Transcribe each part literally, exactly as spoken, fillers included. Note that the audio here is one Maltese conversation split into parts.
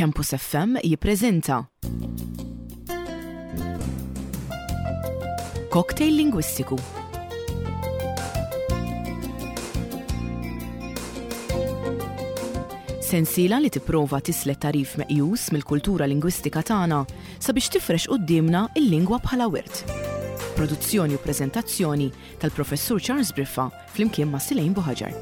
Campus F M jippreżenta Cocktail Lingwistiku. Sensiela li tipprova tislet tagħrif meqjus mill-kultura lingwistika tagħna sabiex tifrex quddiemna il-lingwa bħala wirt. Produzzjoni u preżentazzjoni tal-Professur Charles Briffa flimkien ma' Silejn Buħaġar.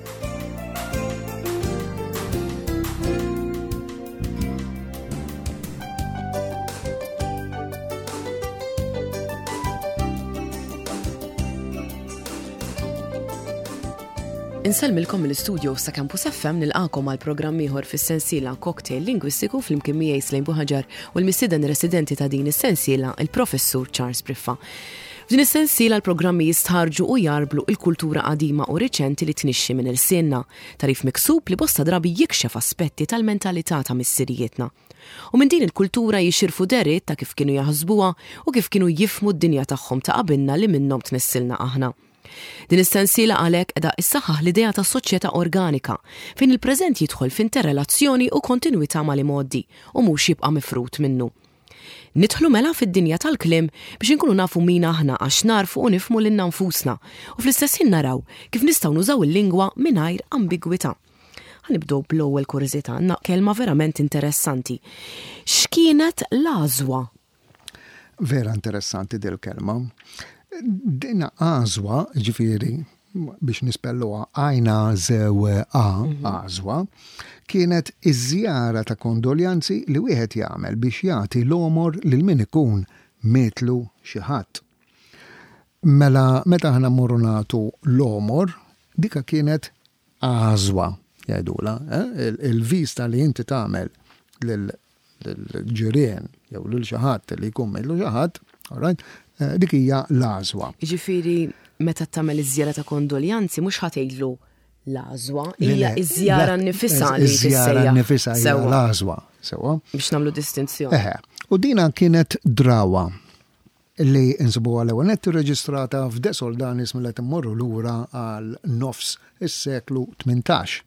Insellmilkom mill-istudio sa' Campus F M, nilqagħkom għal programm ieħor fis-sensiela Cocktail Lingwistiku flimkien miegħi Slejn Buħaġar u l-mistieden residenti ta' din is-sensiela, il-Professur Charles Briffa. F'din is-sensiela l-programmi jistħarġu u jgħarblu il-kultura qadima u riċenti li tnixxi minn ilsienna, tagħrif miksub li bosta drabi jikxef aspetti tal-mentalità ta' missirijietna. U minn din il-kultura jixirfu deriet ta' kif kienu jaħsbuha u kif kienu jifhmu d-dinja tagħhom ta' qabilna li minnhom tnissilna aħna. Din is-sensiela għalhekk qiegħda issaħħaħ l-idea ta' soċjetà organika fejn il-preżent jidħol f'interrelazzjoni u kontinwità mal-imgħoddi u mhux jibqa' mifrut minnu. Nidħlu mela fid-dinja tal-kliem biex inkunu nafu min aħna, għax narfu u nifhmu lilna nfusna, u fl-istess ħin naraw kif nistgħu nużaw il-lingwa mingħajr ambigwità. Ħa nibdew bl-ewwel kurżità, għandna kelma verament interessanti. X'kienet l-għażwa? Vera interessanti dil-kelma. Dina għażwa, ġifieri, biex nispelluha għajna zew a, għażwa, kienet iż-żjara ta' kondoljanzi li wieħed jagħmel biex jagħti l-għomor lil min ikun mietlu xi ħadd. Mela meta aħna mmorru nagħtu l-għomor, dika kienet għażwa, jgħidula, eh? Il- il-vista li inti tagħmel lil ġirien jew lil xi ħadd li jkun mietlu xi ħadd, all right, eh, dik hija l-għażwa. Jiġifieri meta tagħmel iż-żjara ta' kondoljanzi mhux ħa tgħidlu l-għażwa, Le, hija le, iż-żjara la- nnifisha li Iż-żjara tissejjaħ. nnifisha hija Sewwa. l-għażwa, sewwa. Biex nagħmlu distinzjoni. Eħe, u dina kienet drawa li insibuha l-ewwel nett irreġistrata f'De Soldanis mill immorru lura għal nofs is-seklu tmintax.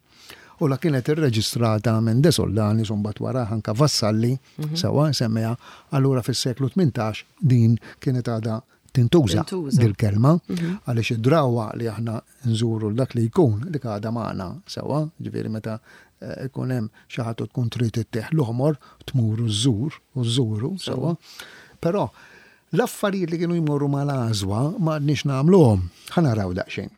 U la kienet irreġistrata minn De Soldanis u mbagħad wara anka Vassalli, sewwa semmeha, allura fis-seklu tmintax din kienet għadha tintuża Tintuża. dil-kelma, għaliex id-drawa li aħna nżuru dak li jkun dik għadha magħna sewwa, ġifieri meta eh, ikun hemm xi ħadd u tkun trid ittieħ l-oħmor, tmur u żżur u żżuru sewwa. Però l-affarijiet li kienu jmorru mal-għażwa ma għadniex nagħmluhom. Ħa naraw daqsxejn.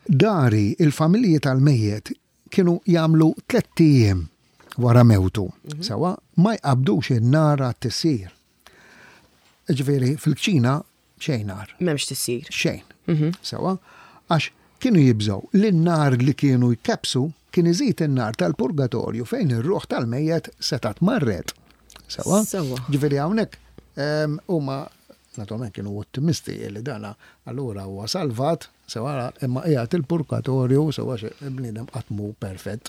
Dari il-familji tal-mejjet kienu jagħmlu tlett ijiem wara mewtu. Sewwa, ma jqabdux in-nar għat-tisjir. Ġifieri fil-kċina xejn nar. M'hemmx tisjir. Xejn. Sewwa, għax kienu jibżgħu li n-nar li kienu jkebsu kien iżid in-nar tal-purgatorju fejn ir-ruħ tal-mejjet setat marret. Sewwa? Sewwa. Ġifieri hawnhekk em, huma naturalment kienu ottimisti li dana allura huwa salvat, sewwa, imma qiegħed il-purgatorju, sewwa, xi bniedem qatt mhu perfett.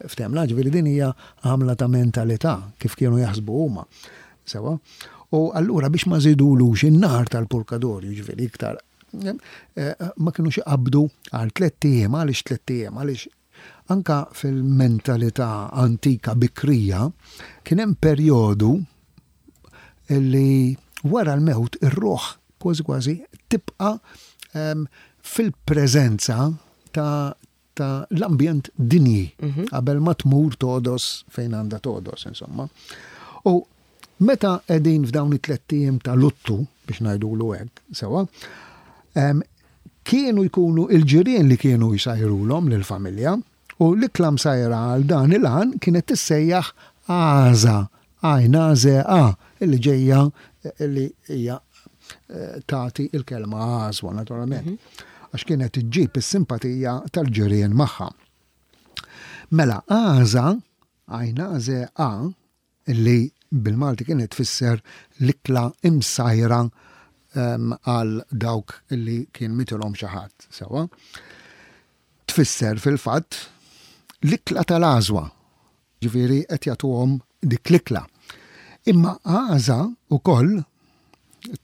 Ftemna, ġifieri din hija għamla ta' mentalità kif kienu jaħsbu huma. Sewwa? U allura biex ma żidulux in-nar tal-purgatorju, ġifieri iktar, eh, ma kienux iqabdu għal tlett ijiem. Għaliex tlett ijiem? Għaliex anka fil-mentalità antika bikrija kien hemm perjodu li wara l-mewt ir-ruħ kważi kważi tibqa' em, fil-preżenza ta' ta' l-ambjent dinji qabel ma tmur todos fejn għandha todos, insomma. U meta qegħdin f'dawn it-tlett ijiem ta' luttu, biex ngħidulu hekk, sewwa, em, kienu jkunu il-ġirien li kienu jsajrulhom lill-familja u l-ikla msajra għal dan il-għan kienet tissejjaħ għaża, għajna ze a, illi ġejja illi hija eh, tagħti il-kelma għażwa naturalment. Għax kienet iġġib is-simpatija tal-ġirien magħha. Mela għaża, għajna ze a, illi bil-Malti kienet tfisser l-ikla imsajra em, għal dawk illi kien mitilhom xi ħadd, sewwa. Tfisser fil-fatt l-ikla tal-għażwa. Ġifieri qed jagħtuhom dik l-ikla. Imma għaża ukoll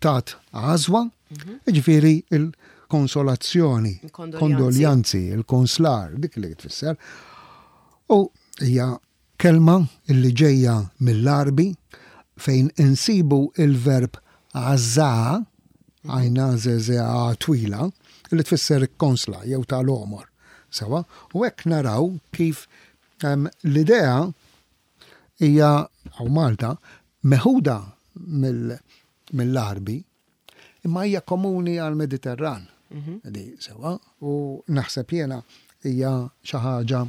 tat għażwa, ġifieri il-konsolazzjoni, Il-kondoljanzi. kondoljanzi, il-konslar, dik li tfisser. U hija Kelma illi ġejja mill-Għarbi fejn insibu il-verb għażża, għajna zezea twila, li tfisser konsla jew tal-għomor. Sewa, u hekk naraw kif um, l-idea hija hawn Malta meħuda mill-Għarbi imma hija komuni għal-Mediterran. Di sewa, u naħseb jiena hija xi ħaġa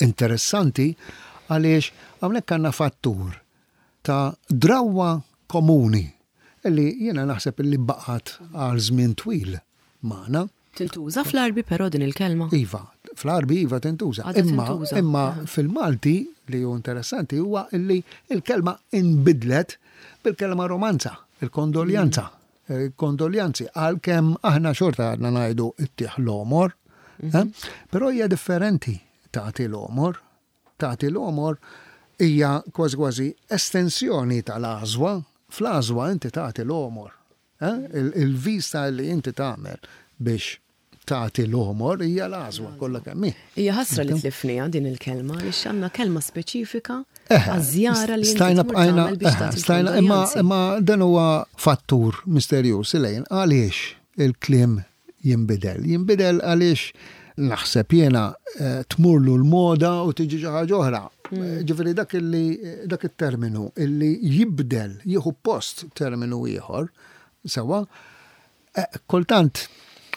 interessanti għaliex hawnhekk għandna fattur ta' drawa komuni illi jiena naħseb illi baqgħet għal żmien twil magħna. Tintuża fl-Għarbi però din il-kelma? Iva, fl-Għarbi iva tintuża. Għadha Imma, tintuża. imma fil-Malti li hu interessanti huwa illi il-kelma inbidlet bil-kelma romanza, il-kondoljanza. Il-kondoljanzi, għalkemm aħna xorta għadna ngħidu ittih l-għomor, eh? Però hija differenti tagħti l-għomor. Tagħti l-għomor hija kważi kważi estensjoni tal-għażwa. Fl-għażwa inti tagħti l-għomor. Eh? Il- Il-vista li inti tagħmel biex tagħti l-għomor hija l-għażwa kollha kemm hi. Hija ħasra li tlifniha din il-kelma, għaliex għandna kelma speċifika Eħe, għaż-żjara li inti stajna tmur bqajna, tagħmel biex eħe, tagħti stajna, imma, kondoljanzi. imma dan huwa fattur misterjuż lejn għaliex il-kliem jinbidel. Jinbidel għaliex naħseb jiena eh, tmurlu l-moda u tiġi xi ħaġa oħra. Mm. Ġifieri dak illi dak it-terminu illi jibdel jieħu post terminu ieħor, sewa, eh, kultant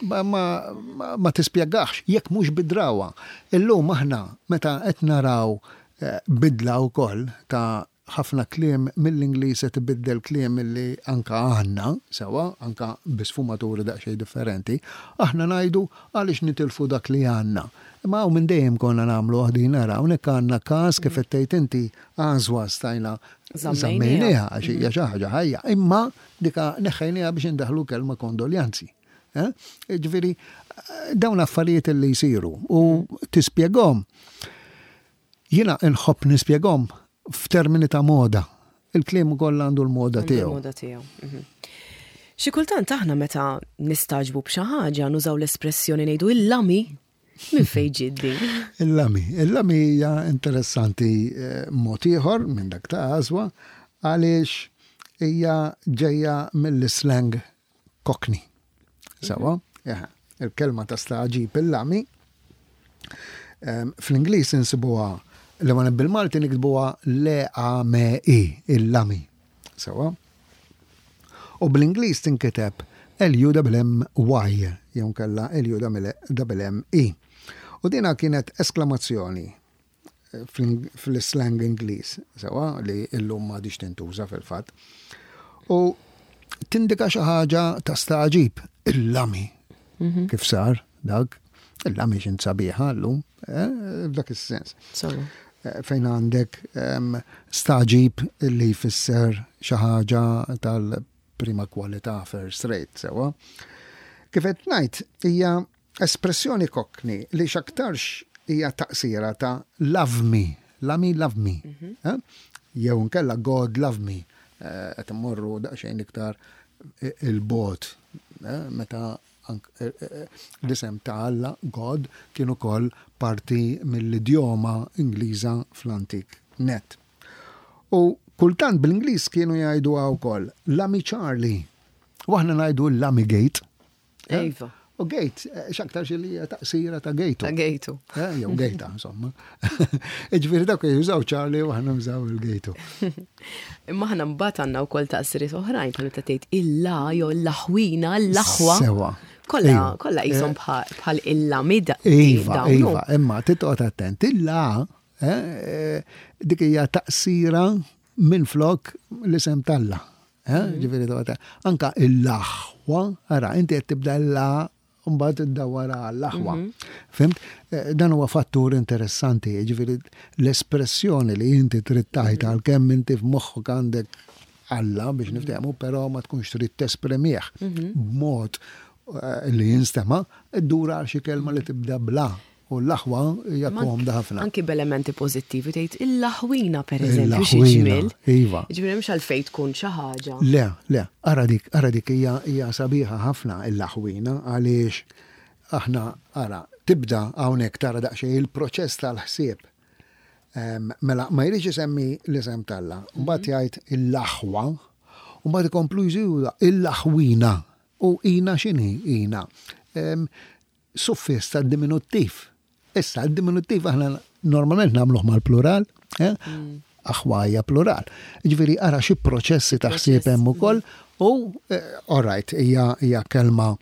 ma, ma, ma, ma tispjegax jekk mhux bidrawa. Illum aħna meta qed naraw eh, bidla wkoll ta' ħafna kliem mill-Ingliż qed ibiddel kliem illi anka għandna, sewa, anka bi sfumaturi daqsxejn differenti, aħna ngħidu għaliex nitilfu dak li għandna. Imma hawn minn dejjem konna nagħmlu ħdin nara, hawnhekk għandna każ kif qed tgħid inti għażwa stajna Żammejniha. żammejniha għax hija xi ħaġa ħajja, imma dika neħħejniha biex indaħlu kelma kondoljanzi. Eh? Ġifieri, dawn affarijiet li jsiru u tispjegahom. Jiena nħobb nispjegahom f'termini ta' moda. Il-kliem ukoll għandu l-moda Għandu tiegħu. l-moda tiegħu. mhm. Xi kultant aħna meta nistagħġbu b'xi ħaġa nużaw l-espressjoni ngħidu il-lami minn fejn ġiet din. Il-lami. Il-lami hija interessanti eh, mod ieħor minn dak ta' għażwa għaliex hija ġejja mill-slang Cockney. Sewa, Eħe, il-kelma ta' stagħġib il-lami. Em, Fl-Ingliż insibuha li ma bil-Malti niktbuha L-A-M-I, il-lami. Sewa. U bl-Ingliż tinkiteb L-U-M-M-Y, jew kella L-U-M-M-I. U dina kienet esklamazzjoni eh, fl- fl-slang Ingliż, sewa, li illum m'għadhiex tintuża fil-fatt. U tindika xi ħaġa ta' stagħġib, il-lami. Kif sar dak, il-lami x'int sabiħa llum, eh, f'dak is-sens. Sorry. Eh, fejn għandek em, stagħġib li jfisser xi ħaġa tal-prima kwalità first rate, sewa. Kif qed ngħid hija espressjoni Cockney li x'aktarx hija taqsira ta' love me, lami love me. Eh? Jew nkella God love me. Eh, Qed immorru daqsxejn iktar il-bogħod, eh, meta ank- eh, eh, l-isem ta' Alla, God, kien ukoll parti mill-idjoma Ingliża fl-antik net. U kultant bl-Ingliż kienu jgħidu wkoll Lami Charlie. U aħna ngħidu Lami Gate. Eh? Iva. U gate, eh, x'aktar li hija taqsira ta' gejtu. Ta' gejtu. Eh, Jew gejta, insomma. Ġifieri dak jużaw Charlie u aħna nużaw il-gejtu. Imma aħna mbagħad għandna wkoll taqsiriet oħrajn bħal meta tgħid illa jew l-aħwina, l-aħwa. Sewa. Kollha Iva. kollha qishom bħal bħal il-lami da- Iva, dawn, iva, imma titqgħod attent. Illa, eh, eh, dik hija taqsira minn flok l-isem t'Alla. Eh, Ġifieri toqgħod anka il-aħwa, ara, inti qed tibda la mbagħad iddawwara għall-aħwa. Fhimt? Eh, Dan huwa fattur interessanti, ġifieri l-espressjoni li inti trid tgħid għalkemm inti f'moħħok għandek Alla biex niftehmu, però ma tkunx trid tesprimih b'mod eh, li jinstema', iddura għal xi kelma li tibda bla. U l-aħwa hija Ma komda ħafna. Anki b'elementi pożittivi tgħid il-aħwina pereżempju xi Il-aħwina, ġmiel. iva. Ġifieri mhux għalfejn tkun xi ħaġa. Le, le, ara dik, ara dik hija hija sabiħa ħafna il-aħwina għaliex aħna ara tibda hawnhekk tara daqsxejn il-proċess tal-ħsieb. Mela, ma jridx isemmi l-isem t'Alla. Mbagħad jgħid il-aħwa, u mbagħad ikomplu jżidu il-aħwina. U ina x'inhi ina? Suffiss ta' diminuttiv. Issa, d-diminuttiv aħna normalment nagħmluh mal-plural, eh? mm. Aħwa hija plural. Ġifieri ara xi proċessi ta' ħsieb hemm ukoll u eh, all right, hija kelma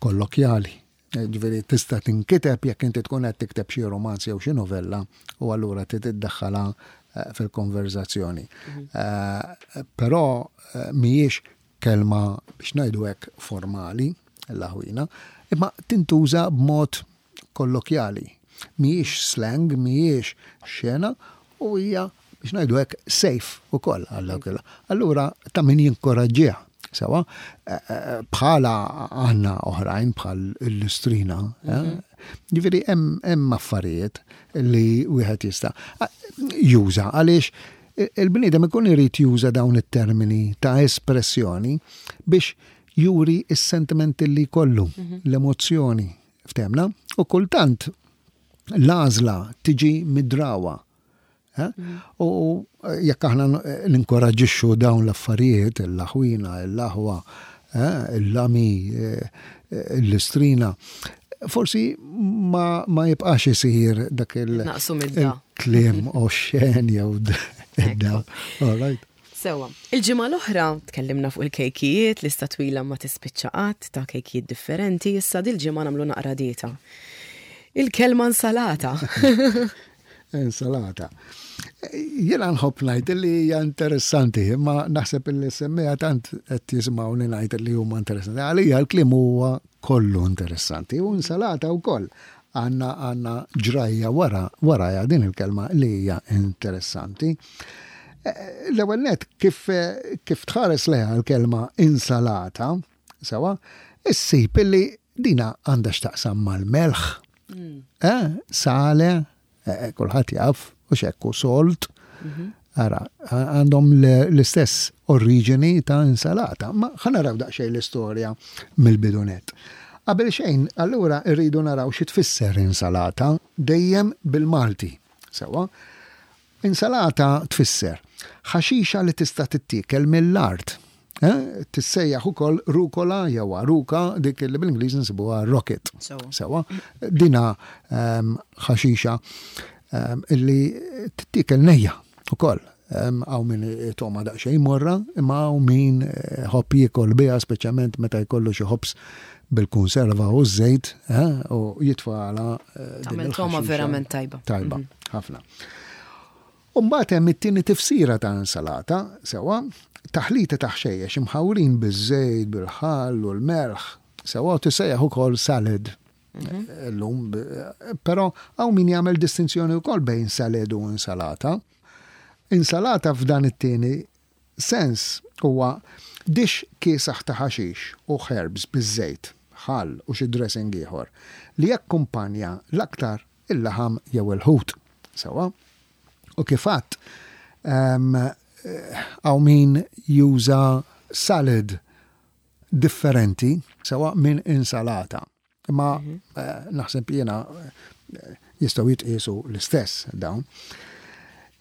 kollokjali. Eh, ġifieri tista' tinkiteb jekk inti tkun qed tikteb xi romanz jew xi novella u allura trid iddaħħalha eh, fil-konverzazzjoni. Mhm. Però mhijiex kelma biex ngħidu hekk formali l-aħwina, imma tintuża b'mod kollokjali. Mhijiex slang, mhijiex xena u hija biex ngħidu hekk safe ukoll. Allura ta' min jinkoraġġiha. Sewa, eh, eh, bħala għandna oħrajn bħal l-istrina. Eh? Mhm. Ġifieri hemm affarijiet li wieħed jista' juża għaliex il-bniedem ikun irid juża dawn it-termini ta' espressjoni biex juri is-sentimenti li kollu, mhm. l-emozzjoni, ftemna, u kultant l-għażla tiġi mid-drawa. Mhm. U jekk aħna ninkoraġixxu dawn l-affarijiet, il-aħwina, l-aħwa, il-lami, l-istrina, forsi ma, ma jibqax isir dak il-kliem oxxen jew da. All right. Sewa, il-ġimgħa l-oħra tkellimna fuq il-kejkijiet, lista twila ma tispiċċa qatt ta' kejkijiet differenti, issa dil-ġimgħa nagħmlu naqra dieta. Il-kelma insalata. Insalata. Jiena nħobb ngħid li hija interessanti, imma naħseb li semmija tant qed jisimgħuni ngħid li huma interessanti. Għalija l-kliem huwa kollu interessanti u insalata wkoll għandna għandna ġrajja wara waraja din il-kelma li hija interessanti. Eh, l-ewwel net kif kif tħares leha l-kelma insalata, sewa, issib illi dina għandha x'taqsam mal-melħ. Mm. Eh, sale, eh, kulħadd jaf, u xekku salt. Mhm. Ara, għandhom l-istess oriġini ta' insalata. Ma ħa naraw daqsxejn l-istorja mill-bidunet. Qabel xejn, allura rridu naraw xi tfisser insalata dejjem bil-Malti. Sewa, insalata tfisser ħaxixa li tista' tittiekel mill-art. Eh? Tissejjaħ ukoll rukola jew aruka, dik li bil-Ingliż nsibuha rocket. Sewa, dina ehm, ħaxixa ehm, illi tittiekel nejja ukoll. Hawn min toma daqsxejn morra, imma hawn min eh, ħobb jiekol biha speċjalment meta jkollu xi ħobż bil-konserva u ż-żejt eh, u jitfagħla. Tagħmel toma verament tajba. Tajba, mhm. ħafna. U mbagħad hemm it-tieni tifsira ta' insalata, sewa, taħlita ta' ħxejjex imħawrin biż-żejt, bil-ħall u l-melħ, sewa u tissejjaħ ukoll salad. Mhm. Illum, però hawn min jagħmel distinzjoni wkoll bejn salad u insalata. Insalata f'dan it-tieni sens huwa dix kiesaħ ta' ħaxix u herbs biż-żejt, ħall u xi dressing ieħor li jakkumpanja l-aktar il-laħam jew il-ħut. Sewa? U kif għadt, hawn min juża salad differenti sewa minn insalata. Imma mhm. eh, naħseb jiena eh, jistgħu jitqiesu l-istess dawn.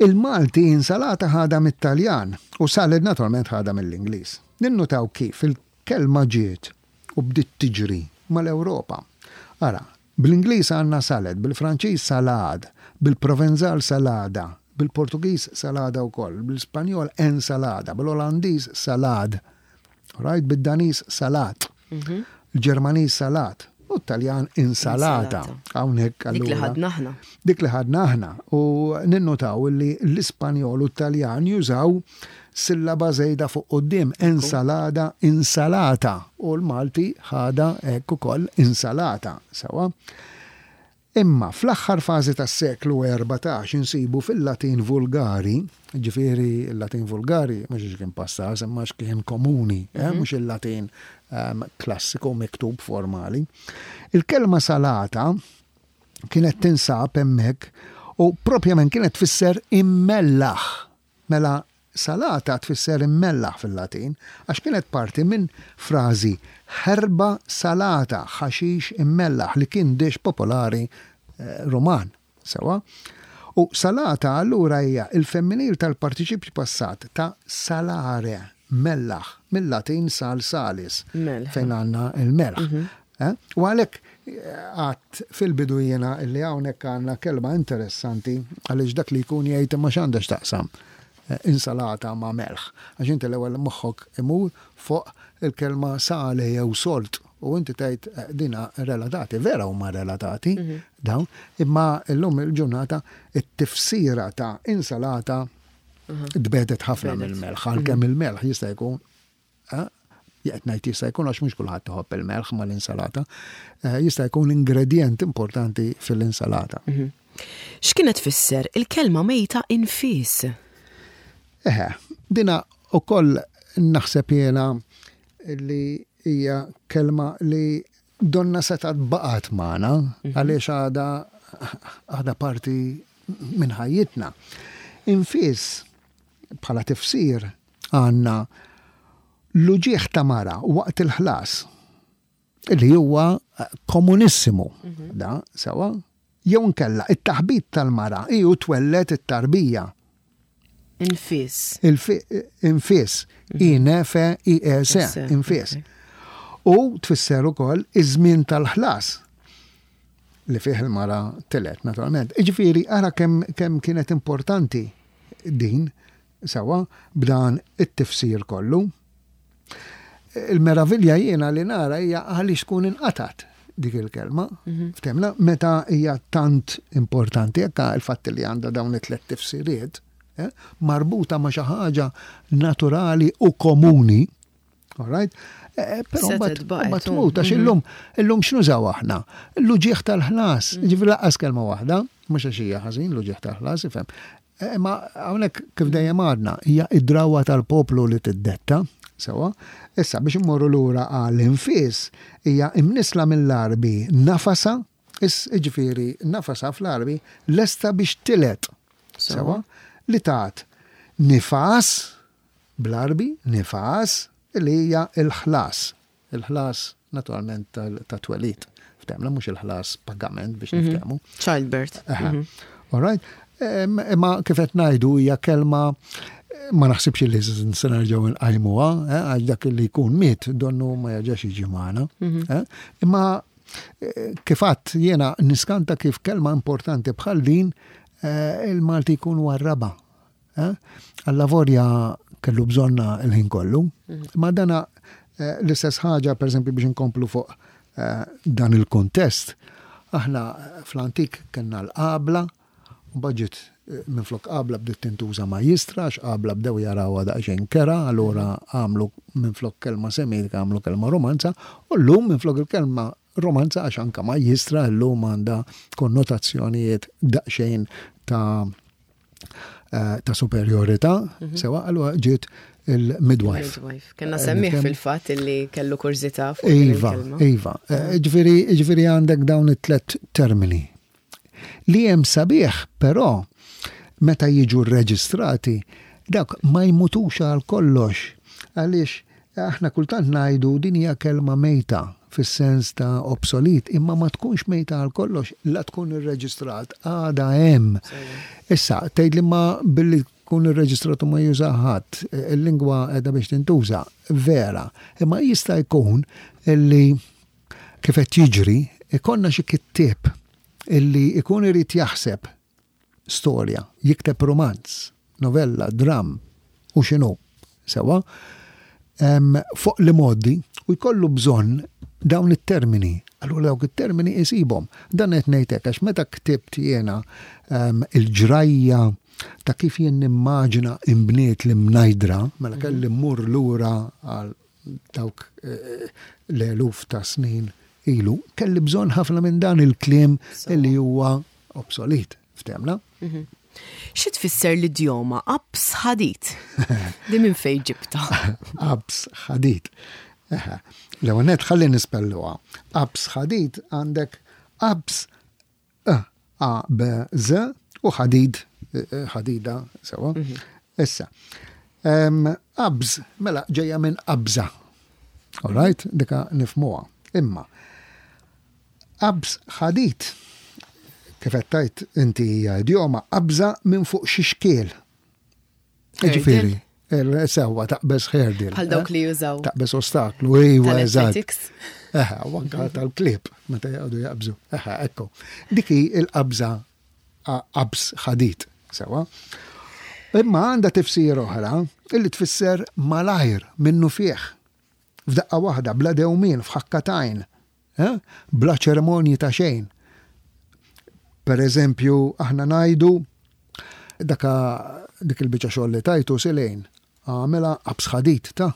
Il-Malti insalata ħadha mit-Taljan u salad naturalment ħadha mill-Ingliż. Ninnutaw kif il-kelma ġiet u bdiet tiġri mal-Ewropa. Ara, bl-Ingliż għandna salad, bil-Franċiż salad, bil-Provenzal salada, bil-Portugiż salada wkoll, bil-Spanjol ensalada, bil-Olandiż salad, right, bid-Daniż salat, mhm. il-Ġermaniż salat, u t-Taljan insalata. Hawnhekk Dik li ħadna aħna. Dik li ħadna aħna. U ninnutaw li l-Ispanjol u t-Taljan jużaw sillaba żejda fuq quddiem, ensalada, insalata. U l-Malti ħadha hekk ukoll insalata. Sewa. Imma fl-aħħar fażi tas-seklu erbatax insibu fil-Latin vulgari, ġifieri l-Latin vulgari mhux għax kien pastas, imma għax kien komuni, eh, mhm. mhux il-Latin um, klassiku miktub formali. Il-kelma salata kienet tinsab hemmhekk u propjament kienet tfisser immellaħ. Mela salata tfisser immellaħ fil-Latin għax kienet parti minn frażi herba salata, ħaxix immellaħ li kien dish popolari eh, Ruman. Sewa. U salata allura hija il-femminil tal-partiċipju passat ta' salare, mellaħ, mill-Latin sal salis, fejn għandna il-melħ. Mhm. Eh? U għalhekk eh, għat fil-bidu jiena li hawnhekk għandna kelma interessanti għaliex dak li jkun jgħid ma x'għandha x'taqsam eh, insalata ma' melħ. Għax inti l-ewwel moħħok imur fuq il-kelma sale jew salt u inti tgħid dina relatati, vera huma relatati mhm. dawn, imma llum il-ġurnata it-tifsira ta' insalata mhm. tbedet ħafna mill-melħ, għalkemm mhm. il-melħ jista' jkun qed ngħid jista' jkun għax mhux kulħadd iħobb il-melħ mal-insalata, eh, jista' jkun ingredient importanti fil-insalata. Mhm. X'kienet tfisser il-kelma mejta infis? Eħe, dina ukoll naħseb jiena li hija kelma li donna setgħet baqgħet magħna mhm. għaliex għadha għadha parti minn ħajjitna. Infis bħala tifsir għandna l-uġieħ ta' mara waqt il-ħlas li huwa komunissimu mhm. da sewa jew nkella it-taħbit tal-mara iju twellet it-tarbija. Infis. Infis. Mhm. I N F I S, infis. U tfisser ukoll iż-żmien tal-ħlas li fih il-mara telet, naturalment. Iġifieri, ara kemm kem kienet importanti din, sewa, b'dan it-tifsir kollu. Il-meravilja jiena li nara hija għaliex tkun inqatat dik il-kelma, mhm. ftemna, meta hija tant importanti, jekk il-fatt li għandha dawn it-tlet tifsiriet, eh, marbuta ma' xi ħaġa naturali u komuni, all right? Eh, però mbagħad tmut għax mhm. illum illum x'nużaw aħna? L-uġieħ tal-ħlas, mhm. ġifieri lanqas kelma waħda, mhux għax hija ħażin l-uġieħ tal-ħlas, ifhem. Eh, ma hawnhekk kif dejjem għadna, hija id-drawa tal-poplu li tiddetta, sewa. Issa biex immorru lura għall-infis hija imnisla mill-Arbi nafasa, ġifieri nafasa fl-Arbi lesta biex tilet. Sewa, li tat nifas bl-Arbi, nifas li hija il-ħlas. Il-ħlas naturalment ta' twelid. Ftemna mhux il-ħlas pagament biex mhm. niftehmu. Childbirth. Mhm. All right. Imma kif qed ngħidu hija kelma ma naħsibx li se nerġgħu nqajmuha, eh, għax dak li jkun miet donnu ma jerġax jiġi magħna. Mhm. Eh. Imma eh, kif għedt jiena niskanta kif kelma importanti bħal din il-Malti jkun warraba. Alla vorja kellu bżonna il-ħin kollu. Mhm. Ma dana l-istess ħaġa, per eżempju, biex inkomplu fuq dan il-kontest, aħna fl-antik kellna l-qabla, u baġit minflok qabla bdiet tintuża majjistra, għax qabla bdew jarawha daqsxejn kera, allura għamlu minflok kelma Semitika għamlu kelma Romanza, u llum minflok il-kelma Romanza għax anka majjistra llum għandha konnotazzjonijiet daqsxejn ta' eh, ta' superjorità, mhm. sewa allura ġiet il-midwife. Kellna semmiegħ fil-fatt li kellu kurżità fuq Iva, iva. Eh, ġifieri, ġifieri għandek dawn it-tlet termini. Li hemm sabiħ, però, meta jiġu rreġistrati, dak ma jmutux għal kollox. Għaliex aħna kultant ngħidu din hija kelma mejta fis-sens ta' obsolet, imma ma tkunx mejta għal kollox, la tkun irreġistrat, għada hemm. Issa, tgħid li ma billi tkun irreġistrat u ma juża ħadd, il-lingwa qiegħda biex tintuża, vera. Imma jista' jkun illi kif qed jiġri, ikollna xi kittieb illi ikun irid jaħseb storja, jikteb romanz, novella, dram, u x'inhu, sewa, fuq li modi u jkollu bżonn dawn it-termini. Allura dawk it-termini isibhom. Dan qed ngħidlek għax meta ktibt jiena il-ġrajja ta' kif jien nimmaġina imbniet l-Imnajdra, mela kelli mmur lura għal dawk eh, l-eluf ta' snin ilu, kelli bżonn ħafna minn dan il-kliem li huwa obsolet. Ftemna? Mhm. Xi tfisser l-idjoma abs ħadid? Di minn fejn ġibta? Abs ħadid. L-ewwel nett ħalli nispelluha. Abs ħadid għandek abs A B Z u ħadid ħadida sewa. Mhm. Issa. Abs mela ġejja minn qabża. All right, dika nifmuha. Imma abs ħadid Kif qed tgħid inti hija idjoma qabża minn fuq xi xkiel. Ġifieri, sewwa, taqbeż hurdle. Bħal dawk li jużaw. Taqbeż ostaklu, iwa, eżatt. Eħe, u anka tal-klieb, meta jgħodu jaqbżu. Eħe, ekku. Dik hi il-qabża, qabż ħadid, sewwa. Imma għandha tifsir oħra illi tfisser malajr, minnu fih. F'daqqa waħda, bla dewmien, f'ħakka t'għajn. Eh? Bla ċerimonji ta' xejn. Per eżempju, aħna ngħidu daka dik il-biċċa xogħol li tajtu silejn, għamilha qabż ħadid ta'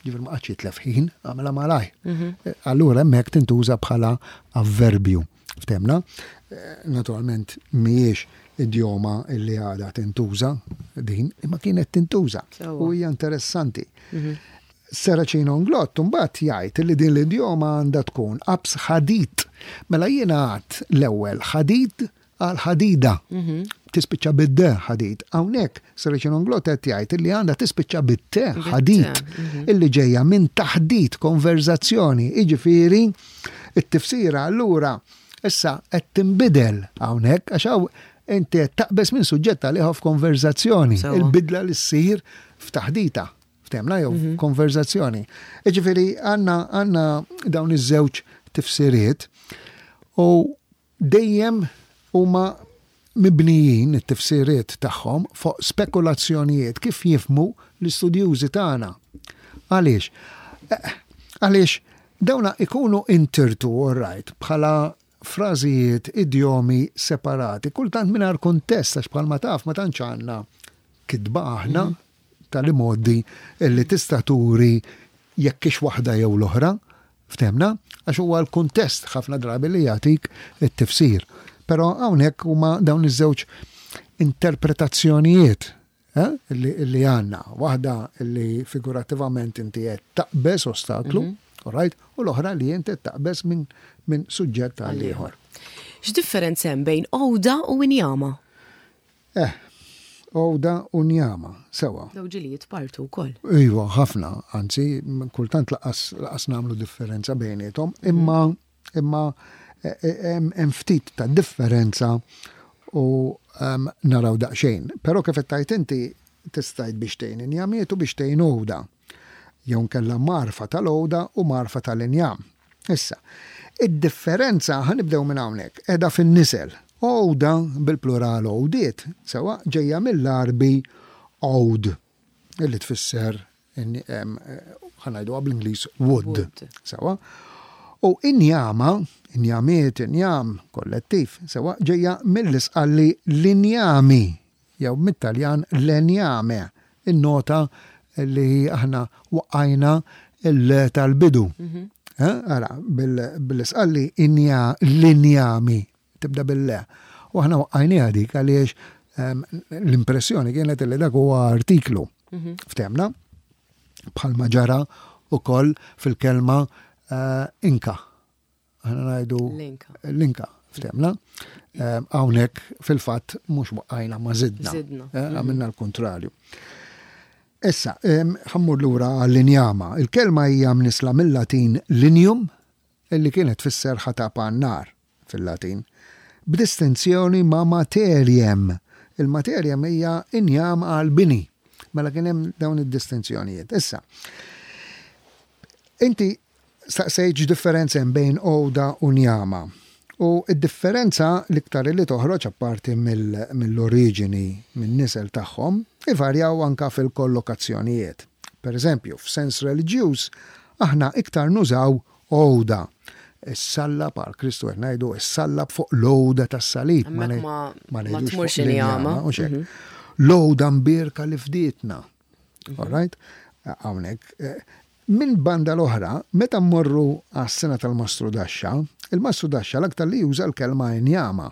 ġifieri ma qagħadx jitlef ħin, għamilha malajr. Mhm. Allura hemmhekk tintuża bħala avverbju. Ftemna? Eh, naturalment mhijiex idjoma illi għadha tintuża din, imma kienet tintuża. U hija interessanti. Mhm. Serracino Inglott mbagħad jgħid li din l-idjoma għandha tkun qabż ħadid. Mela jiena għedt l-ewwel ħadid għal ħadida. Mhm. Tispiċċa bid-de ħadid. Hawnhekk Serracino Inglott qed jgħid li għandha tispiċċa bit-te ħadit mhm. illi ġejja minn taħdit, konverzazzjoni. Jiġifieri it-tifsira allura issa qed tinbidel hawnhekk għax hawn inti qed taqbeż minn suġġett għal ieħor f'konverzazzjoni. Il-bidla li ssir f'taħdita. Ftemna jew mhm. konverzazzjoni. Ġifieri għandna għandna dawn iż-żewġ tifsiriet u dejjem huma mibnijin it-tifsiriet tagħhom fuq spekulazzjonijiet kif jifhmu l-istudjużi tagħna. Għaliex? Eh, għaliex dawna ikunu intirtu, all right, bħala frażijiet, idjomi separati, kultant mingħajr kuntest, għax bħalma taf ma tantx għandna kitba aħna mm -hmm. tal-modi illi tista' turi jekk hix waħda jew l-oħra, ftemna, għax huwa l-kuntest ħafna drabi li jagħtik it-tifsir. Però hawnhekk huma dawn iż-żewġ interpretazzjonijiet eh, li, li għandna. Waħda li figurativament inti qed taqbeż ostaklu, mm -hmm. all right, u l-oħra li inti taqbeż minn min suġġett għal ieħor. X'differenza hemm bejn għoda u injama? Eh, għoda u njama, sewwa. Daw ġieli jitpartu wkoll. Iva, ħafna, anzi, kultant lanqas lanqas nagħmlu differenza bejniethom, imma imma eh, eh, hemm ftit ta' differenza u em, naraw daqsxejn. Però kif qed tgħid inti, tista' tgħid biex tgħin injamiet u biex tgħin għoda. Jew nkella mgħarfa tal-għoda u mgħarfa tal-injam. Issa, id-differenza, ħa nibdew minn hawnhekk, qiegħda fin-nisel. Għoda bil-plural għodiet, sewwa, ġejja mill-Għarbi għod, illi tfisser ħa ngħidu bl-Ingliż wood. Wood. Sewwa. U injama, injamiet, injam, kollettiv, sewwa, ġejja mill-Isqalli linjami, jew mit-Taljan legname, innota li aħna waqqajna il tal-bidu. Eh, Ara, bil-Isqalli inja linjami, tibda bil-le. U aħna waqqajniha dik għaliex em, l-impressjoni kienet li dak huwa artiklu. Ftemna? Bħalma ġara ukoll fil-kelma eh, inka. Aħna ngħidu L-inka. l-inka, ftemna. Em, Hawnhekk fil-fatt mhux waqqajna ma zidna. Zidna. Eh, Għamilna l-kontrarju. Issa, em, ħa mmur lura għall-injama. Il-kelma hija mnisla mill-Latin lignum, illi kienet tfisser ħatab għan-nar fil-Latin, b'distinzjoni ma' materiem. Il-materiem hija injam għal-bini. Mela kien hemm dawn id-distinzjonijiet. Issa, inti staqsejt x'differenza hemm bejn għoda u njama. U id-differenza l-iktar li toħroġ, apparti mill-oriġini, minn-nisel tagħhom, ivarjaw anka fil-kollokazzjonijiet. Per eżempju, f'sens reliġjuż, aħna iktar nużaw għoda. Is-sallab għal Kristu qed ngħidu is-sallab fuq l-għoda tas-salib. Hemmhekk ngħid- ma- ma ngħidux tmurx fuq injama. l-injama, u xek. L-għoda mbierka li fdietna. All right? Hawnhekk. eh, Min banda l-oħra, meta mmorru għas-sengħa tal-Mastru Daxxa, il-Mastru Daxxa l-aktar li juża l-kelma injama.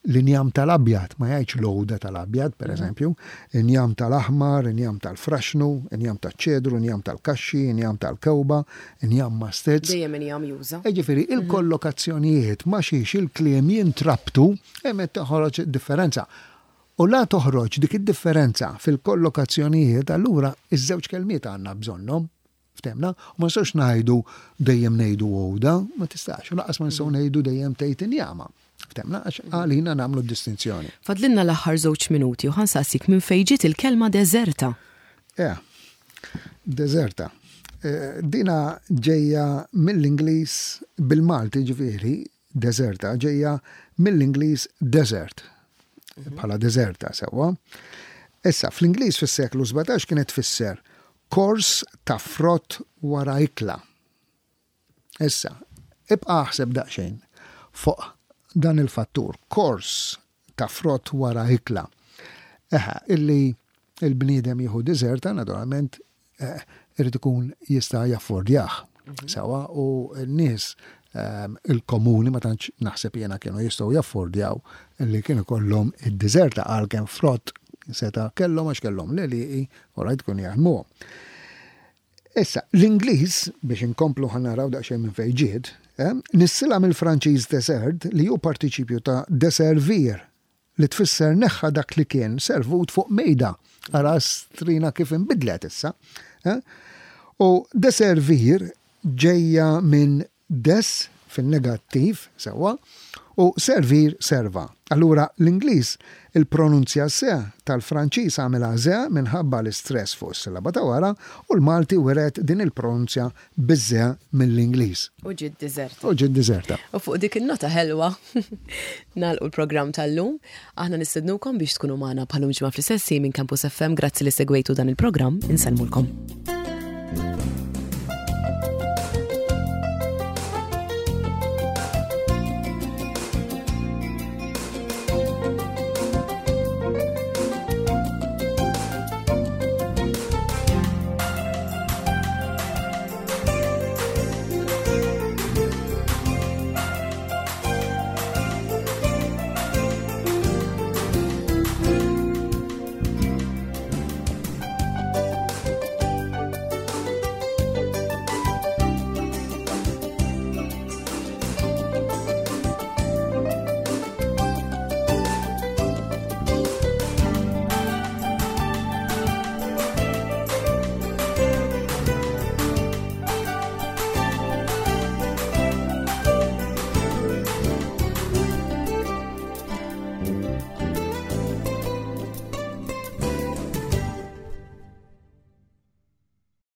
L-injam tal-abjad, ma jgħidx l-għoda tal-abjad, per eżempju, injam tal-aħmar, injam tal-fraxnu, injam tal-ċedru, injam tal-kaxxi, injam tal-kewba, injam mastizz. Dejjem injam juża. Ġifieri, il-kollokazzjonijiet ma xiex il-kliem jintrabtu, hemm toħroġ differenza. U la toħroġ dik id-differenza fil-kollokazzjonijiet, allura iż-żewġ kelmiet għandna bżonnhom. Ftemna? U ma nistgħux ngħidu dejjem ngħidu għoda, ma tistax. U lanqas ma nistgħu ngħidu dejjem tgħid injama. Ftemna, għax għalina nagħmlu distinzjoni. Fadlinna l-aħħar żewġ minuti u ħa nsaqsik minn fejn ġiet il-kelma deżerta. Ja, deżerta. Eh, dina ġejja mill-Ingliż bil-Malti, ġifieri, deżerta, ġejja mill-Ingliż desert, bħala deżerta sewwa. Issa, fl-Ingliż fis-seklu sbatax kienet tfisser kors ta' frott wara ikla. Issa, ibqa' aħseb daqsxejn fuq dan il-fattur, kors ta' frott wara ikla. Eħa, illi il-bniedem jieħu deżerta, naturalment, eh, irid ikun jista' jaffordjah. Mhm. Sewwa, u n-nies ehm, il-komuni ma tantx naħseb jena kienu jistgħu jaffordjaw li kienu kollhom id-deżerta, għalkemm frott seta' kellhom għax kellhom l-għelieqi u rajt kun jaħdmuhom. Issa, l-Ingliż, biex inkomplu, ħa naraw daqsxejn minn fejn ġiet, eh, nissilha mill-Franċiż desert, li hu partiċipju ta' deservir, li tfisser neħħa dak li kien servut fuq mejda. Ara strina kif inbidlet issa. Eh? U deservir ġejja minn des fin-negattiv, sewwa, u servir, serva. Allura l-Ingliż il-pronunzja se tal-Franċiż għamilha ze minħabba l-istress fuq is-sillaba ta' wara, u l-Malti wiret din il-pronunzja biż-ze mill-Ingliż. U ġiet deżerta. U ġiet deżerta. U fuq dik il-nota ħelwa nagħlqu l-programm tal-lum. Aħna nistednukom biex tkunu magħna bħal-lum ġimgħa fl-istess minn Campus F M. Grazzi li segwejtu dan il-programm. Insellmulkom.